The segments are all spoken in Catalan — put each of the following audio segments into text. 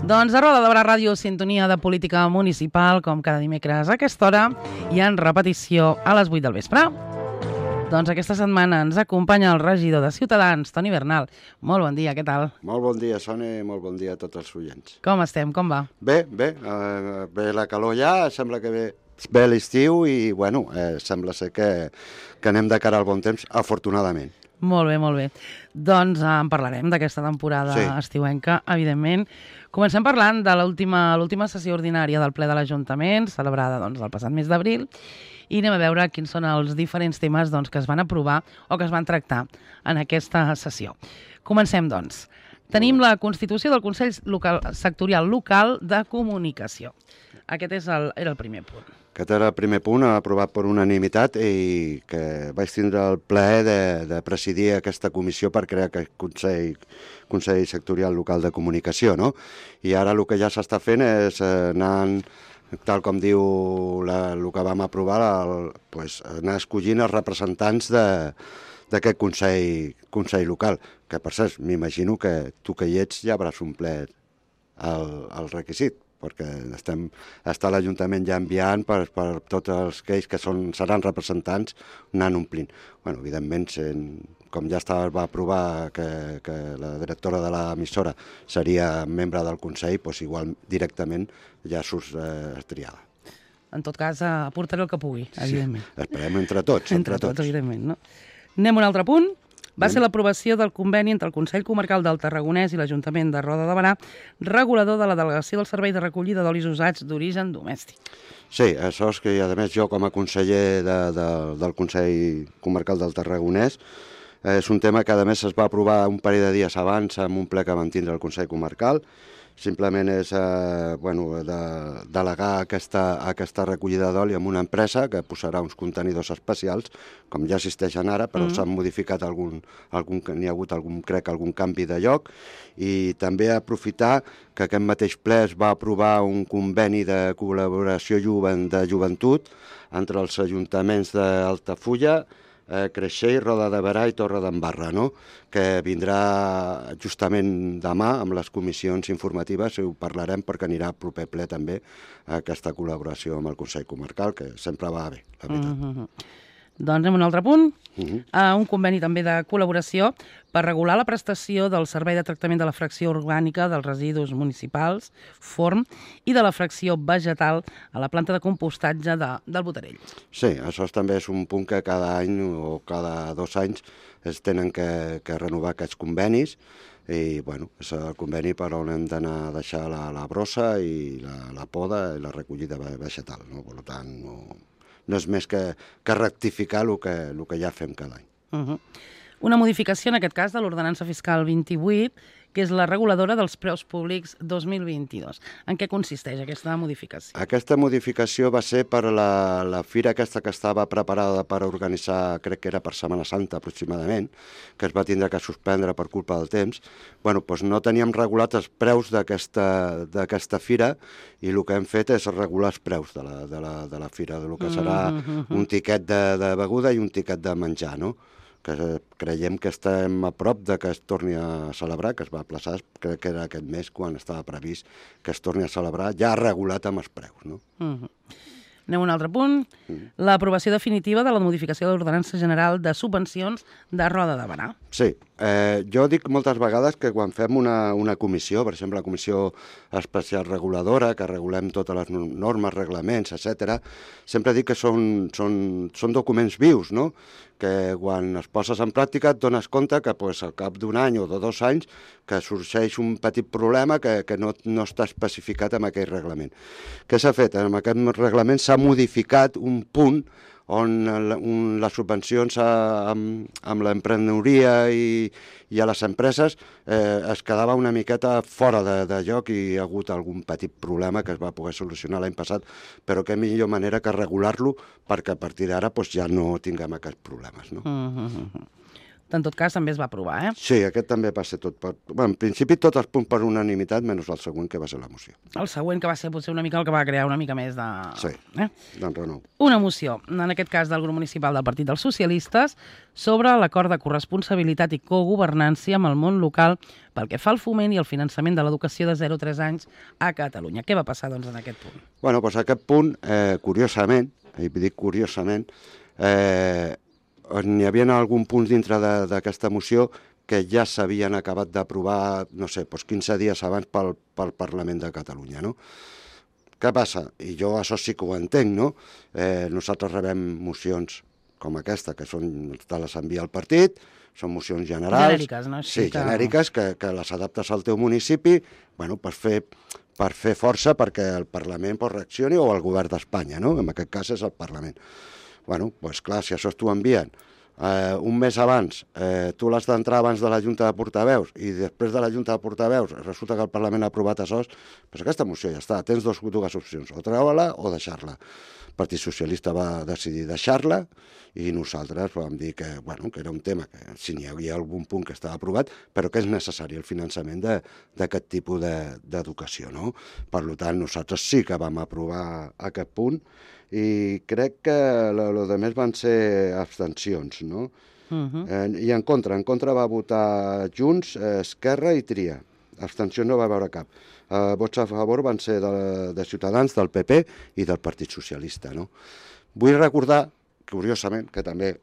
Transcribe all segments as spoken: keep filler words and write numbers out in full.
Doncs a Roda de Barà Ràdio, sintonia de política municipal, com cada dimecres a aquesta hora, i en repetició a les vuit del vespre. Doncs aquesta setmana ens acompanya el regidor de Ciutadans, Toni Bernal. Molt bon dia, què tal? Molt bon dia, Sònia, i molt bon dia a tots els oients. Com estem, com va? Bé, bé, eh, bé la calor ja, sembla que ve, ve l'estiu i, bueno, eh, sembla ser que, que anem de cara al bon temps, afortunadament. Molt bé, molt bé. Doncs eh, en parlarem d'aquesta temporada sí. estiuenca, evidentment. Comencem parlant de l'última sessió ordinària del ple de l'Ajuntament, celebrada doncs, el passat mes d'abril, i anem a veure quins són els diferents temes doncs, que es van aprovar o que es van tractar en aquesta sessió. Comencem, doncs. Tenim la constitució del Consell local, Sectorial Local de Comunicació. Aquest és el, era el primer punt. Aquest era el primer punt, aprovat per unanimitat, i que vaig tindre el plaer de, de presidir aquesta comissió per crear aquest Consell, Consell Sectorial Local de Comunicació, no? I ara el que ja s'està fent és anar, tal com diu la, el que vam aprovar, el, pues, anar escollint els representants d'aquest Consell, Consell Local, que per cert, m'imagino que tu que hi ets ja hauràs omplert el, el requisit, perquè estem, està l'Ajuntament ja enviant per, per tots els que, que són, seran representants, anant omplint. Bueno, evidentment, sen, com ja estava, va aprovar que, que la directora de l'emissora seria membre del Consell, doncs igual directament ja surts eh, triada. En tot cas, aportaré el que pugui, evidentment. Sí, esperem entre tots. Entre, entre tots, tots, evidentment. No? Anem a un altre punt. Va ser l'aprovació del conveni entre el Consell Comarcal del Tarragonès i l'Ajuntament de Roda de Barà, regulador de la delegació del servei de recollida d'olis usats d'origen domèstic. Sí, això és que, a més, jo com a conseller de, de, del Consell Comarcal del Tarragonès, és un tema que, a més, es va aprovar un parell de dies abans en un ple que van tindre el Consell Comarcal. Simplement és eh, bueno, de, delegar aquesta, aquesta recollida d'oli en una empresa que posarà uns contenidors especials, com ja existeixen ara, però mm. s'han modificat algun, algun, n'hi ha hagut algun, crec, algun canvi de lloc, i també aprofitar que aquest mateix ple es va aprovar un conveni de col·laboració juvent, de joventut entre els ajuntaments d'Altafulla, Eh, Creixell, Roda de Barà i Torredembarra, no? Que vindrà justament demà amb les comissions informatives i ho parlarem perquè anirà a proper ple també aquesta col·laboració amb el Consell Comarcal, que sempre va bé, la veritat. Mm-hmm. Doncs anem a un altre punt, uh-huh. uh, un conveni també de col·laboració per regular la prestació del servei de tractament de la fracció orgànica dels residus municipals, forn, i de la fracció vegetal a la planta de compostatge de, del Botarell. Sí, això també és un punt que cada any o cada dos anys es tenen que, que renovar aquests convenis, i bueno, és el conveni per on hem d'anar a deixar la, la brossa i la, la poda i la recollida vegetal, no? Per tant, no... no és més que, que rectificar el que, el que ja fem cada any. Uh-huh. Una modificació, en aquest cas, de l'ordenança fiscal vint-i-vuit, que és la reguladora dels preus públics dos mil vint-i-dos. En què consisteix aquesta modificació? Aquesta modificació va ser per la, la fira aquesta que estava preparada per organitzar, crec que era per Setmana Santa aproximadament, que es va tindre que suspendre per culpa del temps. Bueno, doncs no teníem regulat els preus d'aquesta fira, i el que hem fet és regular els preus de la, de la, de la fira, del que serà mm-hmm. un tiquet de, de beguda i un tiquet de menjar, no? Que creiem que estem a prop de que es torni a celebrar, que es va aplaçar, crec que era aquest mes quan estava previst que es torni a celebrar, ja regulat amb els preus, no? Mm-hmm. Anem a un altre punt. Mm. L'aprovació definitiva de la modificació de l'Ordenança General de Subvencions de Roda de Barà. Sí. Eh, jo dic moltes vegades que quan fem una, una comissió, per exemple la Comissió Especial Reguladora, que regulem totes les normes, reglaments, etcètera, sempre dic que són, són, són documents vius, no? Que quan es poses en pràctica et dones compte que pues, al cap d'un any o de dos anys que sorgeix un petit problema que, que no, no està especificat en aquell reglament. Què s'ha fet? En aquest reglament s'ha modificat un punt on un, les subvencions a, amb, amb l'emprenedoria i, i a les empreses eh, es quedava una miqueta fora de, de lloc, i hi ha hagut algun petit problema que es va poder solucionar l'any passat, però què millor manera que regular-lo perquè a partir d'ara pues, ja no tinguem aquests problemes. No? Mm-hmm. en tot cas també es va aprovar, eh? Sí, aquest també va ser tot per... Bueno, en principi tots els punts per unanimitat, menys el següent, que va ser la moció. El següent, que va ser potser una mica el que va crear una mica més de... Sí, eh? d'enrenou. Una moció, en aquest cas del grup municipal del Partit dels Socialistes, sobre l'acord de corresponsabilitat i cogovernança amb el món local pel que fa al foment i el finançament de l'educació de zero a tres anys a Catalunya. Què va passar, doncs, en aquest punt? Bueno, doncs aquest punt, eh, curiosament, i dic curiosament, eh, n'hi havia algun punt dintre d'aquesta moció que ja s'havien acabat d'aprovar, no sé, doncs quinze dies abans pel, pel Parlament de Catalunya, no? Què passa? I jo això sí que ho entenc, no? Eh, nosaltres rebem mocions com aquesta, que són, te les envia el partit, són mocions generals. Genèriques, no? Sí, que... genèriques, que, que les adaptes al teu municipi, bueno, per fer, per fer força perquè el Parlament pues, reaccioni, o el govern d'Espanya, no? En aquest cas és el Parlament. Bueno, doncs clar, si això t'ho envien eh, un mes abans, eh, tu l'has d'entrar abans de la Junta de Portaveus i després de la Junta de Portaveus resulta que el Parlament ha aprovat això, doncs aquesta moció ja està, tens dos, dues opcions, o treure-la o deixar-la. El Partit Socialista va decidir deixar-la i nosaltres vam dir que, bueno, que era un tema que si n'hi havia algun punt que estava aprovat, però que és necessari el finançament d'aquest tipus d'educació, no? Per tant, nosaltres sí que vam aprovar aquest punt i crec que el que més van ser abstencions, no? Uh-huh. eh, I en contra, en contra va votar Junts, eh, Esquerra i Tria. Abstencions no va veure cap. Eh, vots a favor van ser de, de Ciutadans, del P P i del Partit Socialista, no? Vull recordar, curiosament, que també,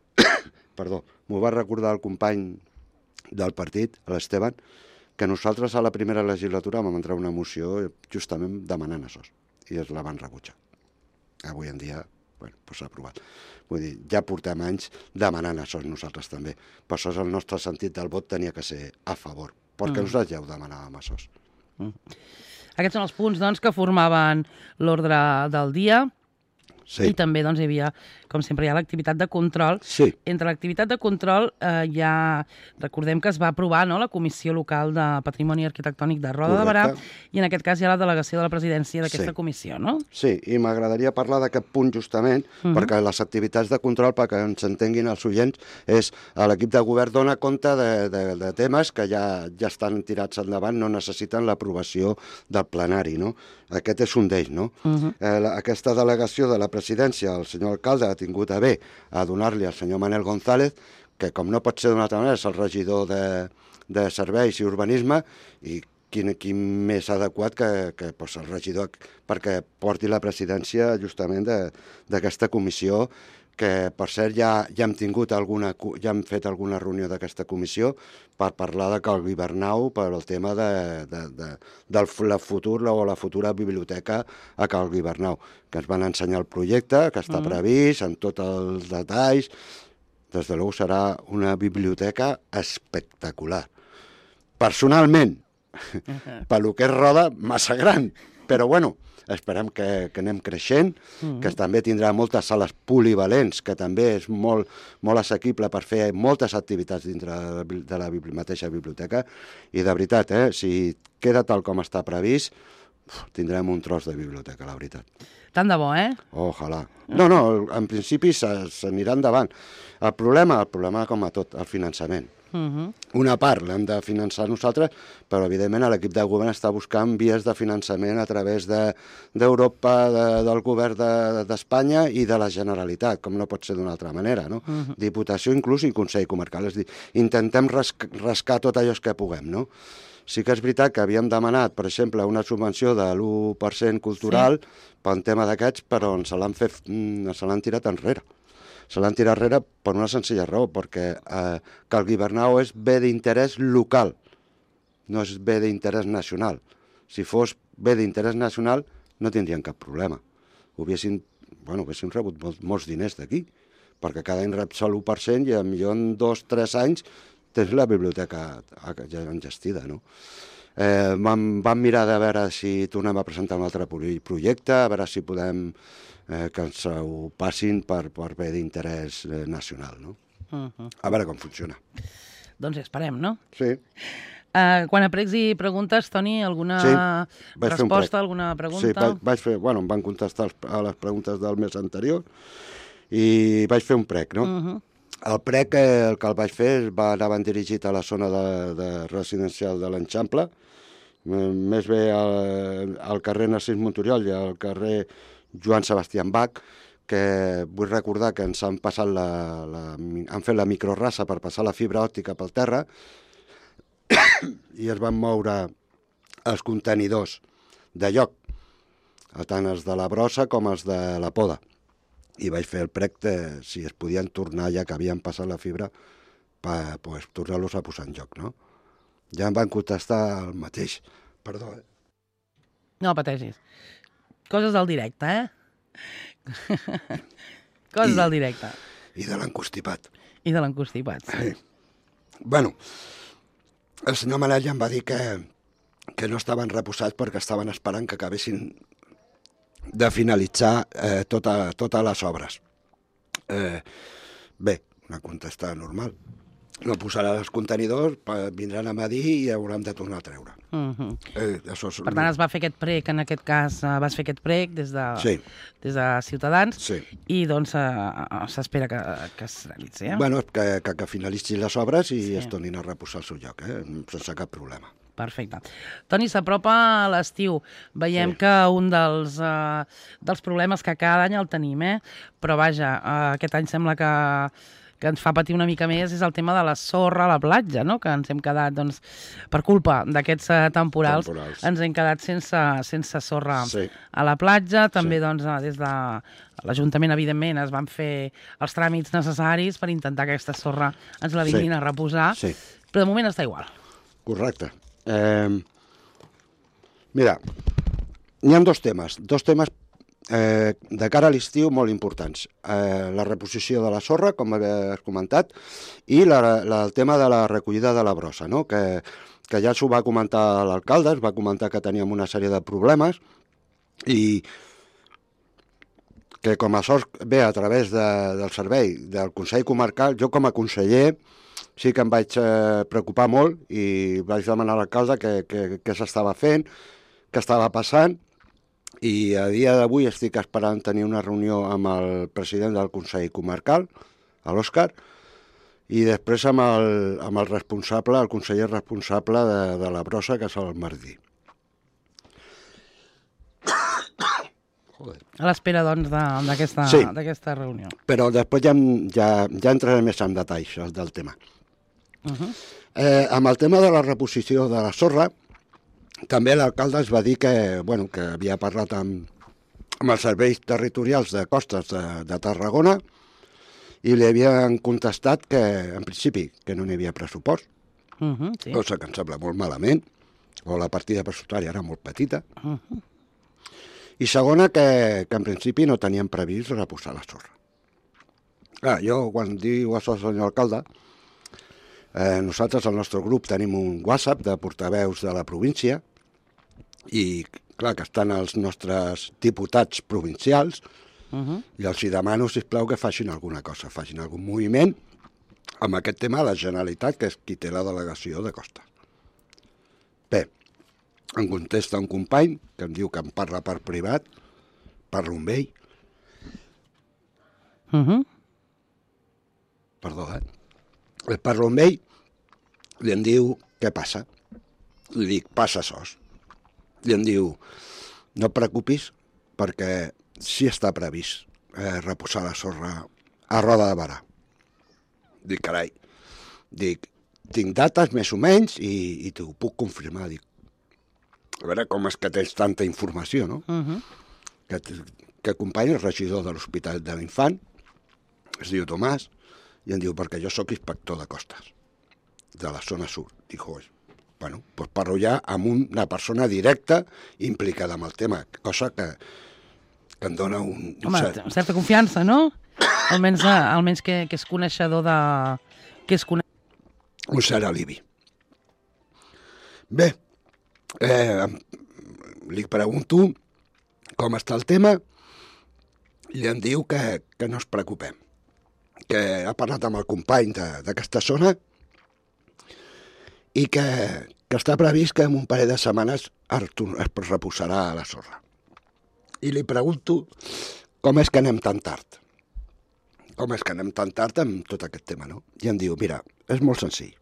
perdó, m'ho va recordar el company del partit, l'Esteban, que nosaltres a la primera legislatura vam entrar una moció justament demanant això, i es la van rebutjar. Avui en dia, bueno, doncs s'ha aprovat. Vull dir, ja portem anys demanant això nosaltres també. Per això el nostre sentit del vot tenia que ser a favor, perquè mm. nosaltres ja ho demanàvem això. Mm. Aquests són els punts, doncs, que formaven l'ordre del dia. Sí. I també doncs, hi havia, com sempre, hi ha l'activitat de control. Sí. Entre l'activitat de control eh, hi ha, recordem que es va aprovar, no?, la Comissió Local de Patrimoni Arquitectònic de Roda de Berà, i en aquest cas hi ha la delegació de la presidència d'aquesta sí. comissió, no? Sí, i m'agradaria parlar d'aquest punt justament, uh-huh. perquè les activitats de control, perquè ens entenguin els oients, és l'equip de govern dona compte de, de, de temes que ja, ja estan tirats endavant, no necessiten l'aprovació del plenari, no? Aquest és un d'ells, no? Uh-huh. eh, la, aquesta delegació de la presidència, el senyor alcalde ha tingut a bé a donar-li al senyor Manel González, que com no pot ser d'una altra manera és el regidor de, de Serveis i Urbanisme, i quin, quin més adequat que, que pues, el regidor perquè porti la presidència justament d'aquesta comissió, que per cert ja, ja hem tingut alguna, ja hem fet alguna reunió d'aquesta comissió per parlar de Cal Guibernau per el tema de, de, de, del la futur o la futura biblioteca a Cal Guibernau, que ens van ensenyar el projecte, que està mm. previst, amb tots els detalls. Des de luego serà una biblioteca espectacular. Personalment, uh-huh. pel que és Roda, massa gran, però bueno, esperem que, que anem creixent, mm-hmm. que també tindrà moltes sales polivalents, que també és molt, molt assequible per fer moltes activitats dintre de la bibli- mateixa biblioteca, i de veritat, eh, si queda tal com està previst, tindrem un tros de biblioteca, la veritat. Tant de bo, eh? Ojalà. No, no, en principi s'anirà endavant. El problema, el problema com a tot, el finançament. Uh-huh. Una part l'hem de finançar nosaltres, però evidentment l'equip de govern està buscant vies de finançament a través d'Europa, de, de, del govern d'Espanya de, i de la Generalitat, com no pot ser d'una altra manera, no? Uh-huh. Diputació inclús i Consell Comarcal. És dir, intentem rasc, rascar tot allò que puguem, no? Sí que és veritat que havíem demanat, per exemple, una subvenció de l'u per cent cultural sí. per un tema d'aquests, però se l'han fet, se l'han tirat enrere. Se l'han tirat enrere per una senzilla raó, perquè eh, Cal Guibernau és bé d'interès local, no és bé d'interès nacional. Si fos bé d'interès nacional, no tindrien cap problema. Ho haguessin, bueno, haguessin rebut molts, molts diners d'aquí, perquè cada any rep sol l'u per cent i potser en dos o tres anys tens la biblioteca ja engestida, no? Eh, vam, vam mirar de veure si tornem a presentar un altre projecte, a veure si podem eh, que ens ho passin per, per bé d'interès eh, nacional, no? Uh-huh. A veure com funciona. Doncs esperem, no? Sí. Uh, quan a pregs i preguntes, Toni, alguna sí, resposta, alguna pregunta? Sí, vaig, vaig fer, bueno, em van contestar a les preguntes del mes anterior i vaig fer un prec, no? Uh-huh. El prec que, el que el vaig fer va anaven dirigit a la zona de, de residencial de l'Enxample, més bé al, al carrer Narcís Monturiol i al carrer Joan Sebastián Bach, que vull recordar que ens han passat la, la, han fet la microrraça per passar la fibra òptica pel terra i es van moure els contenidors de lloc, tant els de la brossa com els de la poda. I vaig fer el prec de si es podien tornar, ja que havien passat la fibra, per pues, tornar-los a posar en joc, no? Ja em van contestar el mateix. Perdó, eh? No pateixis. Coses del directe, eh? Coses I, del directe. I de l'encostipat. I de l'encostipat, sí. sí. Bueno, el senyor Manel ja em va dir que, que no estaven reposats perquè estaven esperant que acabessin de finalitzar eh, tota, totes les obres. Eh, bé, una contestada normal. No posarà els contenidors, vindran a medir i haurem de tornar a treure. Uh -huh. eh, això és... Per tant, es va fer aquest prec, en aquest cas vas fer aquest prec des de, sí. des de Ciutadans sí. i doncs s'espera que, que es realitzi. Eh? Bueno, que, que, que finalitzin les obres i sí. es tornin a reposar al seu lloc, eh? sense cap problema. Perfecte. Toni, s'apropa l'estiu. Veiem sí. que un dels, uh, dels problemes que cada any el tenim, eh? Però vaja, uh, aquest any sembla que, que ens fa patir una mica més és el tema de la sorra a la platja, no? Que ens hem quedat, doncs, per culpa d'aquests uh, temporals, temporals, ens hem quedat sense, sense sorra sí. a la platja. També, sí. doncs, des de l'Ajuntament, evidentment, es van fer els tràmits necessaris per intentar que aquesta sorra ens la vinguin sí. a reposar, sí. però de moment està igual. Correcte. Eh, mira, hi ha dos temes, dos temes eh, de cara a l'estiu molt importants. Eh, la reposició de la sorra, com has comentat, i la, la, el tema de la recollida de la brossa, no? que, que ja s'ho va comentar l'alcalde, es va comentar que teníem una sèrie de problemes i que com a sort ve a través de, del servei del Consell Comarcal, jo com a conseller sí que em vaig eh, preocupar molt i vaig demanar a l'alcalde què que, que, que s'estava fent, què estava passant, i a dia d'avui estic esperant tenir una reunió amb el president del Consell Comarcal, l'Òscar, i després amb el, amb el responsable, el conseller responsable de, de la brossa, que és el Martí. A l'espera, doncs, d'aquesta sí, reunió. Però després ja, ja, ja entraré més en detalls del tema. Uh -huh. eh, amb el tema de la reposició de la sorra, també l'alcalde es va dir que, bueno, que havia parlat amb, amb els serveis territorials de costes de, de Tarragona i li havien contestat que, en principi, que no n'hi havia pressupost, uh -huh, sí. cosa que em sembla molt malament, o la partida pressupostària era molt petita, uh -huh. i segona, que, que en principi no tenien previst reposar la sorra. Ah, jo, quan diu això al senyor alcalde, eh, nosaltres al nostre grup tenim un WhatsApp de portaveus de la província i, clar, que estan els nostres diputats provincials uh -huh. i els hi demano, sisplau, que facin alguna cosa, facin algun moviment amb aquest tema de la Generalitat, que és qui té la delegació de Costa. Bé, em contesta un company que em diu que em parla per privat, parlo amb ell. Uh -huh. Perdó, eh? Parlo amb ell i em diu, què passa? Li dic, passa sos. I em diu, no et preocupis perquè sí està previst eh, reposar la sorra a Roda de Barà. Dic, carai, dic, tinc dates més o menys i, i t'ho puc confirmar. Dic, a veure com és que tens tanta informació, no? Uh -huh. Que, que acompanya el regidor de l'Hospital de l'Infant, es diu Tomàs, i em diu, perquè jo sóc inspector de costes, de la zona sud. Dic, bueno, doncs parlo ja amb una persona directa implicada en el tema, cosa que, que em dona un... Home, cert... certa confiança, no? Almenys, almenys que, que és coneixedor de... Que és cone... Un cert alibi. Bé, eh, li pregunto com està el tema i em diu que, que no es preocupem, que ha parlat amb el company d'aquesta zona i que, que està previst que en un parell de setmanes es reposarà a la sorra. I li pregunto com és que anem tan tard. com és que anem tan tard amb tot aquest tema, no? I em diu, mira, és molt senzill.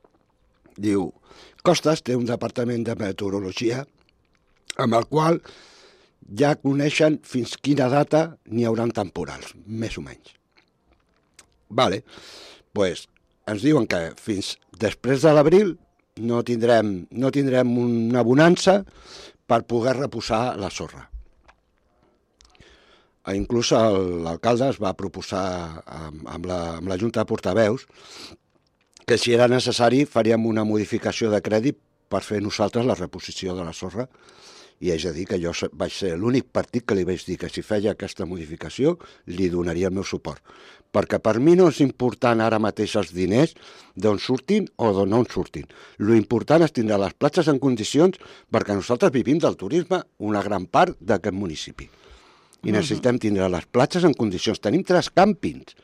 Diu, Costes té un departament de meteorologia amb el qual ja coneixen fins quina data n'hi haurà temporals, més o menys. Vale, doncs pues, ens diuen que fins després de l'abril no tindrem, no tindrem una bonança per poder reposar la sorra. Inclús l'alcalde es va proposar amb, amb, la, amb la Junta de Portaveus que si era necessari faríem una modificació de crèdit per fer nosaltres la reposició de la sorra, i haig de dir que jo vaig ser l'únic partit que li vaig dir que si feia aquesta modificació li donaria el meu suport, perquè per mi no és important ara mateix els diners d'on surtin o d'on no en surtin. Lo important és tindre les platges en condicions, perquè nosaltres vivim del turisme una gran part d'aquest municipi. I necessitem tindre les platges en condicions. Tenim tres càmpings,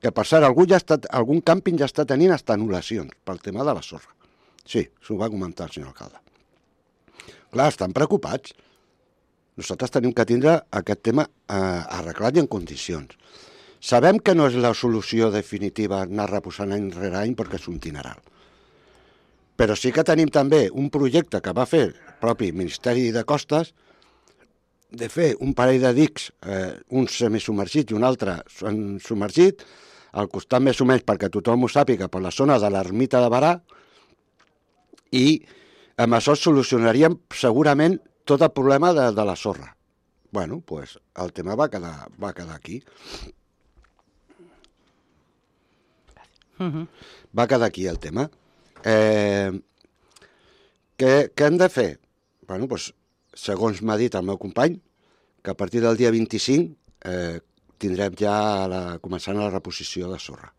que per cert, algú ja està, algun càmping ja està tenint hasta anul·lacions pel tema de la sorra. Sí, s'ho va comentar el senyor alcalde. Clar, estan preocupats. Nosaltres tenim que tindre aquest tema eh, arreglat i en condicions. Sabem que no és la solució definitiva anar reposant any rere any perquè és un dineral. Però sí que tenim també un projecte que va fer el propi Ministeri de Costes de fer un parell de dics, eh, un semisubmergit i un altre submergit, al costat més o menys perquè tothom ho sàpiga, per la zona de l'ermita de Barà, i amb això solucionaríem segurament tot el problema de, de la sorra. Bueno, doncs pues, el tema va quedar, va quedar aquí. Uh-huh. Va quedar aquí el tema. Eh, què, què hem de fer? Bueno, doncs, pues, segons m'ha dit el meu company, que a partir del dia vint-i-cinc eh, tindrem ja la, començant la reposició de sorra.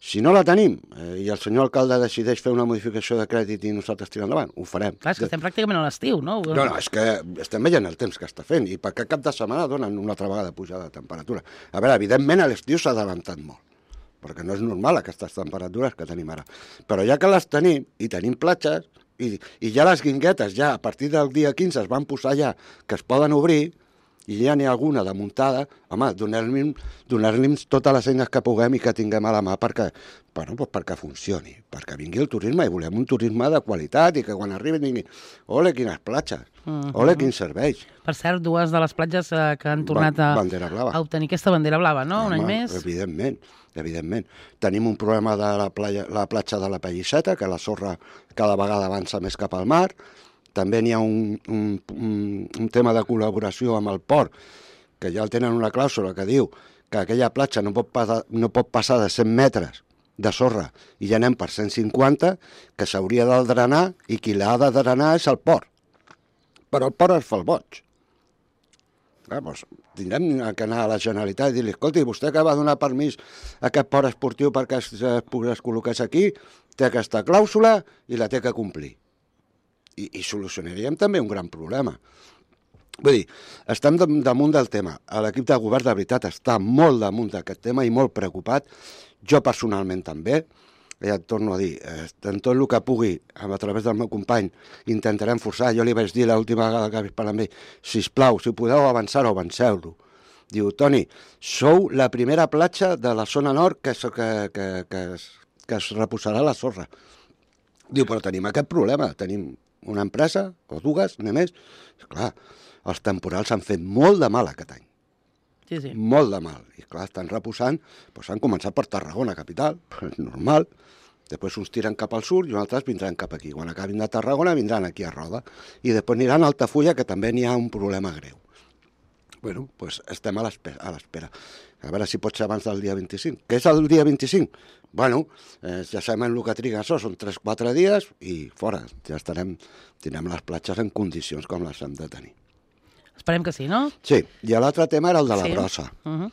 Si no la tenim eh, i el senyor alcalde decideix fer una modificació de crèdit i nosaltres tirar endavant, ho farem. Clar, és que estem pràcticament a l'estiu, no? No, no, és que estem veient el temps que està fent i per aquest cap de setmana donen una altra vegada pujada de temperatura. A veure, evidentment a l'estiu s'ha adelantat molt, perquè no és normal aquestes temperatures que tenim ara. Però ja que les tenim i tenim platges, I, i ja les guinguetes, ja a partir del dia quinze es van posar ja que es poden obrir, i ja n'hi ha alguna de muntada, home, donar-li donar totes les eines que puguem i que tinguem a la mà perquè, bueno, doncs perquè funcioni, perquè vingui el turisme i volem un turisme de qualitat i que quan arribin diguin, ole, quines platges, uh-huh. ole, quins serveis. Per cert, dues de les platges eh, que han tornat a, a obtenir aquesta bandera blava, no? Home, un any més. Evidentment, evidentment. Tenim un problema de la, playa, la platja de la Pellisseta, que la sorra cada vegada avança més cap al mar. També n'hi ha un, un, un, un tema de col·laboració amb el port, que ja el tenen una clàusula que diu que aquella platja no pot, passar, no pot passar de cent metres de sorra i ja anem per cent cinquanta, que s'hauria de drenar i qui l'ha de drenar és el port. Però el port es fa el boig. Ah, doncs, tindrem que anar a la Generalitat i dir-li, escolti, vostè que va donar permís a aquest port esportiu perquè es, es col·loqués aquí, té aquesta clàusula i la té que complir. I, i solucionaríem també un gran problema. Vull dir, estem damunt del tema. L'equip de govern de veritat està molt damunt d'aquest tema i molt preocupat. Jo personalment també. Ja et torno a dir, en tot el que pugui, a través del meu company, intentarem forçar. Jo li vaig dir l'última vegada que vaig parlar amb ell, sisplau, si podeu avançar-ho, avanceu-lo. Diu, Toni, sou la primera platja de la zona nord que, que, que, que, es, que es reposarà la sorra. Diu, però tenim aquest problema, tenim una empresa, o dues, només. Clar, els temporals han fet molt de mal aquest any. Sí, sí. Molt de mal. I clar, estan reposant, doncs han començat per Tarragona, capital, normal. Després uns tiren cap al sud i uns altres vindran cap aquí. Quan acabin de Tarragona vindran aquí a Roda. I després aniran a Altafulla, que també n'hi ha un problema greu. Bueno, doncs estem a l'espera. A veure si pot ser abans del dia vint-i-cinc. Què és el dia vint-i-cinc? Bueno, eh, ja sabem el que triga això, són tres o quatre dies i fora. Ja estarem, tindrem les platges en condicions com les hem de tenir. Esperem que sí, no? Sí, i l'altre tema era el de la sí. brossa. Uh-huh.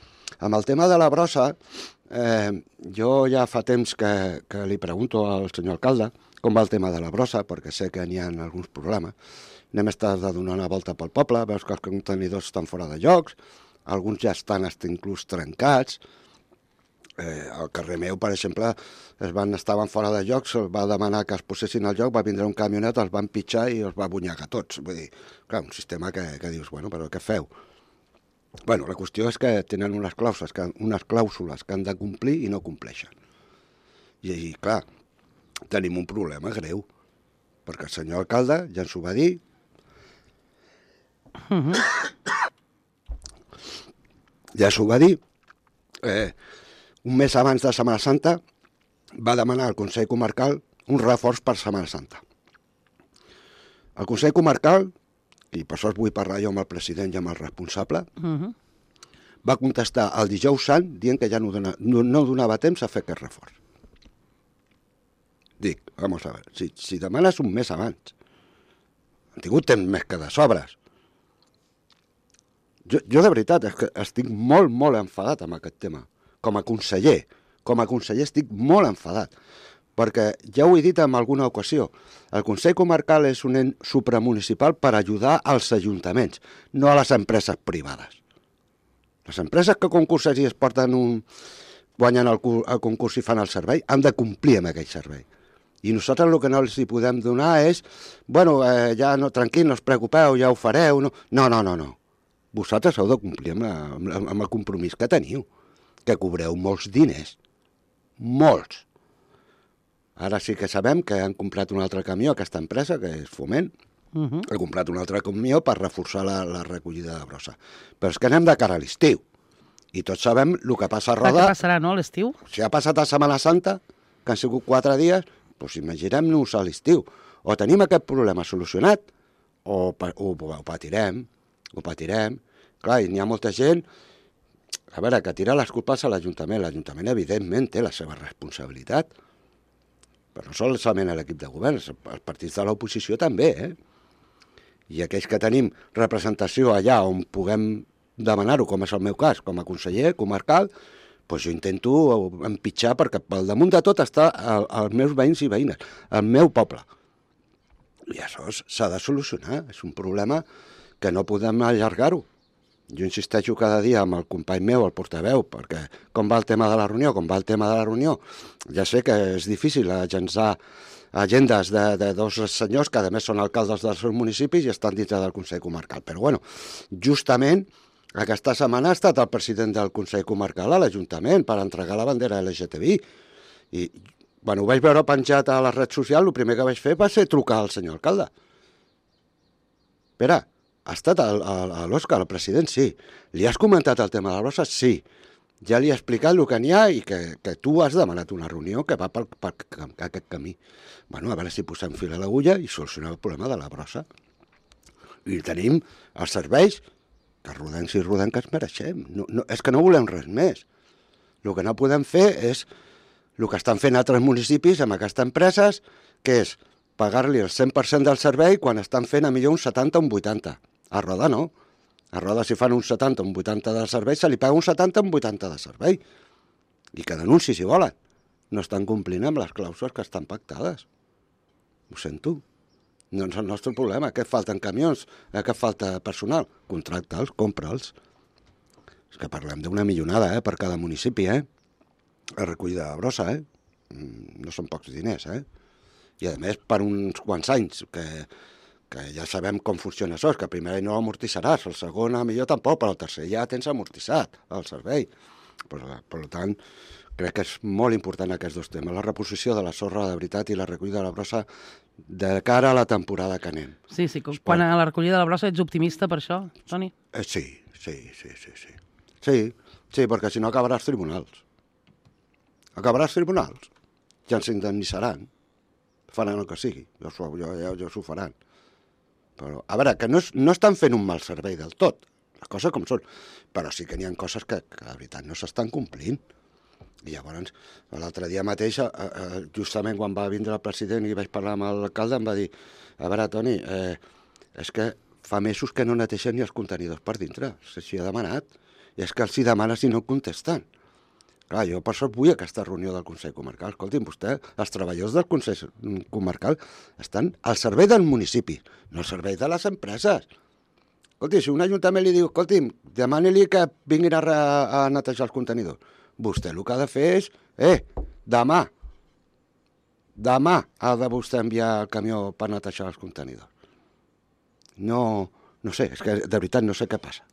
Amb el tema de la brossa, eh, jo ja fa temps que, que li pregunto al senyor alcalde com va el tema de la brossa, perquè sé que n'hi ha alguns problemes. Anem a estar de donar una volta pel poble, veus que els contenidors estan fora de llocs, alguns ja estan hasta inclús trencats. Eh, al carrer meu, per exemple, es van, estaven fora de lloc, se'ls va demanar que es posessin al lloc, va vindre un camionet, els van pitjar i els va bunyagar tots. Vull dir, clar, un sistema que, que dius, bueno, però què feu? Bueno, la qüestió és que tenen unes clàusules que, unes clàusules que han de complir i no compleixen. I, i clar, tenim un problema greu, perquè el senyor alcalde ja ens ho va dir. Uh -huh. Ja s'ho va dir. Eh, un mes abans de Setmana Santa va demanar al Consell Comarcal un reforç per Setmana Santa. El Consell Comarcal, i per això vull parlar jo amb el president i amb el responsable, uh -huh. va contestar el dijous sant dient que ja no, dona, no, no donava temps a fer aquest reforç. Dic, vamos a ver, si, si demanes un mes abans, han tingut temps més que de sobres. Jo, jo de veritat és que estic molt, molt enfadat amb aquest tema. Com a conseller, com a conseller estic molt enfadat, perquè ja ho he dit en alguna ocasió, el Consell Comarcal és un ent supramunicipal per ajudar als ajuntaments, no a les empreses privades. Les empreses que concursen i es porten un, guanyen el, el concurs i fan el servei, han de complir amb aquell servei. I nosaltres el que no els hi podem donar és, bueno, eh, ja no, tranquil, no us preocupeu, ja ho fareu. No, no, no, no. no. Vosaltres heu de complir amb, la, amb, amb el compromís que teniu, que cobreu molts diners, molts. Ara sí que sabem que han comprat un altre camió, aquesta empresa, que és Foment, uh -huh. ha comprat un altre camió per reforçar la, la recollida de brossa. Però és que anem de cara a l'estiu. I tots sabem el que passa a Roda. Què passarà, no, a l'estiu? Si ha passat a Setmana Santa, que han sigut quatre dies, doncs imaginem-nos a l'estiu. O tenim aquest problema solucionat, o, o, o patirem, ho patirem. Clar, i n'hi ha molta gent, a veure, que tira les culpes a l'Ajuntament. L'Ajuntament, evidentment, té la seva responsabilitat, però no solament l'equip de govern, els partits de l'oposició també, eh? I aquells que tenim representació allà on puguem demanar-ho, com és el meu cas, com a conseller comarcal, doncs jo intento empitjar, perquè pel damunt de tot està el, els meus veïns i veïnes, el meu poble. I això s'ha de solucionar, és un problema que no podem allargar-ho. Jo insisteixo cada dia amb el company meu, el portaveu, perquè com va el tema de la reunió, com va el tema de la reunió, ja sé que és difícil agençar agendes de, de dos senyors que a més són alcaldes dels seus municipis i estan dintre del Consell Comarcal. Però bueno, justament aquesta setmana ha estat el president del Consell Comarcal a l'Ajuntament per entregar la bandera L G T B I. I bueno, ho vaig veure penjat a la red social, el primer que vaig fer va ser trucar al senyor alcalde. Espera, ha estat l'Òscar, el president? Sí. Li has comentat el tema de la brossa? Sí. Ja li he explicat el que n'hi ha i que, que tu has demanat una reunió que va per, per, per aquest camí. Bueno, a veure si posem fil a l'agulla i solucionem el problema de la brossa. I tenim els serveis que rodem si rodem que ens mereixem. No, no, és que no volem res més. El que no podem fer és el que estan fent altres municipis amb aquestes empreses, que és pagar-li el cent per cent del servei quan estan fent a millor un setanta o un vuitanta. A Roda no. A Roda si fan un setanta o un vuitanta de servei, se li paga un setanta o un vuitanta de servei. I que denunci si volen. No estan complint amb les clàusules que estan pactades. Ho sento. No és el nostre problema. Què falten camions? Què falta personal? Contracta'ls, compra'ls. És que parlem d'una millonada, eh, per cada municipi, eh? La recollida de brossa, eh? No són pocs diners, eh? I a més per uns quants anys, que... que ja sabem com funciona això, és que el primer any no l'amortitzaràs, el segon a millor tampoc, però el tercer ja tens amortitzat el servei. Per, per tant, crec que és molt important aquests dos temes, la reposició de la sorra de veritat i la recollida de la brossa de cara a la temporada que anem. Sí, sí, quan a la recollida de la brossa ets optimista per això, Toni? Eh, sí, sí, sí, sí, sí. Sí, sí, perquè si no acabarà als tribunals. Acabarà als tribunals. Ja ens indemnitzaran. Faran el que sigui, ja, ja, ja, ja s'ho faran. Però, a veure, que no, és, no estan fent un mal servei del tot, les coses com són, però sí que n'hi ha coses que, que de veritat no s'estan complint. I llavors, l'altre dia mateix, eh, justament quan va vindre el president i vaig parlar amb l'alcalde, em va dir, a veure, Toni, eh, és que fa mesos que no neteixen ni els contenidors per dintre, s'hi ha demanat, i és que els hi demanes i no contesten. Clar, jo per això vull aquesta reunió del Consell Comarcal. Escolti'm, vostè, els treballadors del Consell Comarcal estan al servei del municipi, no al servei de les empreses. Escolti, si un ajuntament li diu, escolti'm, demani-li que vinguin a, a netejar els contenidors, vostè el que ha de fer és, eh, demà, demà ha de vostè enviar el camió per netejar els contenidors. No, no sé, és que de veritat no sé què passa.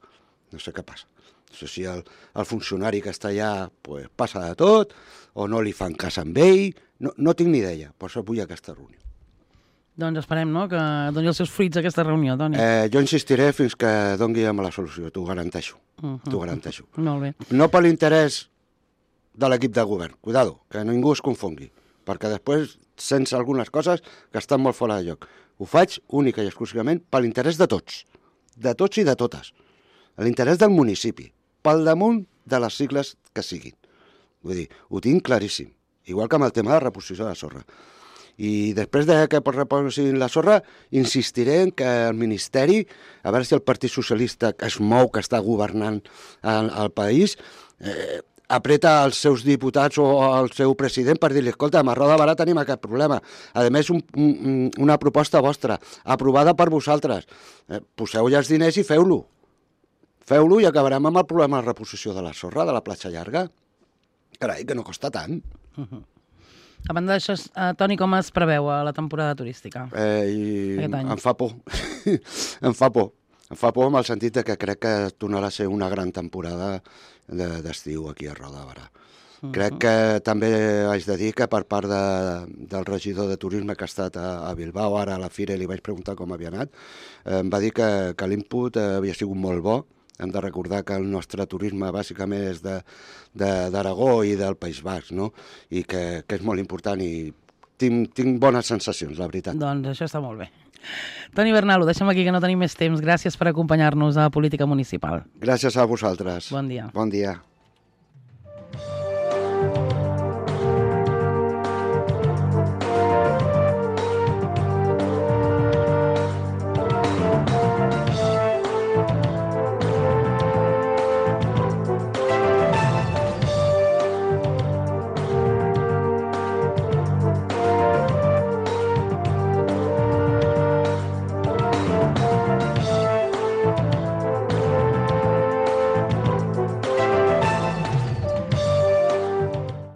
No sé què passa. No sé si el, el funcionari que està allà pues, passa de tot, o no li fan cas amb ell, no, no tinc ni idea, per això vull aquesta reunió. Doncs esperem, no?, que doni els seus fruits aquesta reunió, Toni. Eh, jo insistiré fins que doni amb la solució, t'ho garanteixo, uh -huh. t'ho garanteixo. Molt bé. No per l'interès de l'equip de govern, cuidado, que ningú es confongui, perquè després sents algunes coses que estan molt fora de lloc. Ho faig única i exclusivament per l'interès de tots, de tots i de totes, l'interès del municipi, pel damunt de les sigles que siguin. Vull dir, ho tinc claríssim, igual que amb el tema de reposició de sorra. I després de que reposin la sorra, insistiré en que el Ministeri, a veure si el Partit Socialista que es mou, que està governant el, el país, eh, apreta els seus diputats o el seu president per dir-li, escolta, a Roda de Barà tenim aquest problema. A més, un, un, una proposta vostra, aprovada per vosaltres. Eh, poseu ja els diners i feu-lo. Feu-lo i acabarem amb el problema de reposició de la sorra, de la platja llarga. Carai, que no costa tant. Uh-huh. A banda d'això, uh, Toni, com es preveu a la temporada turística? Eh, i em fa por. em fa por. Em fa por en el sentit de que crec que tornarà a ser una gran temporada d'estiu aquí a Roda de Barà. Uh -huh. Crec que també haig de dir que per part de, del regidor de turisme que ha estat a, a Bilbao, ara a la Fira, i li vaig preguntar com havia anat, eh, em va dir que, que l'input eh, havia sigut molt bo. Hem de recordar que el nostre turisme bàsicament és d'Aragó i del País Basc, no? I que, que és molt important i tinc, tinc bones sensacions, la veritat. Doncs això està molt bé. Toni Bernal, ho deixem aquí que no tenim més temps. Gràcies per acompanyar-nos a Política Municipal. Gràcies a vosaltres. Bon dia. Bon dia.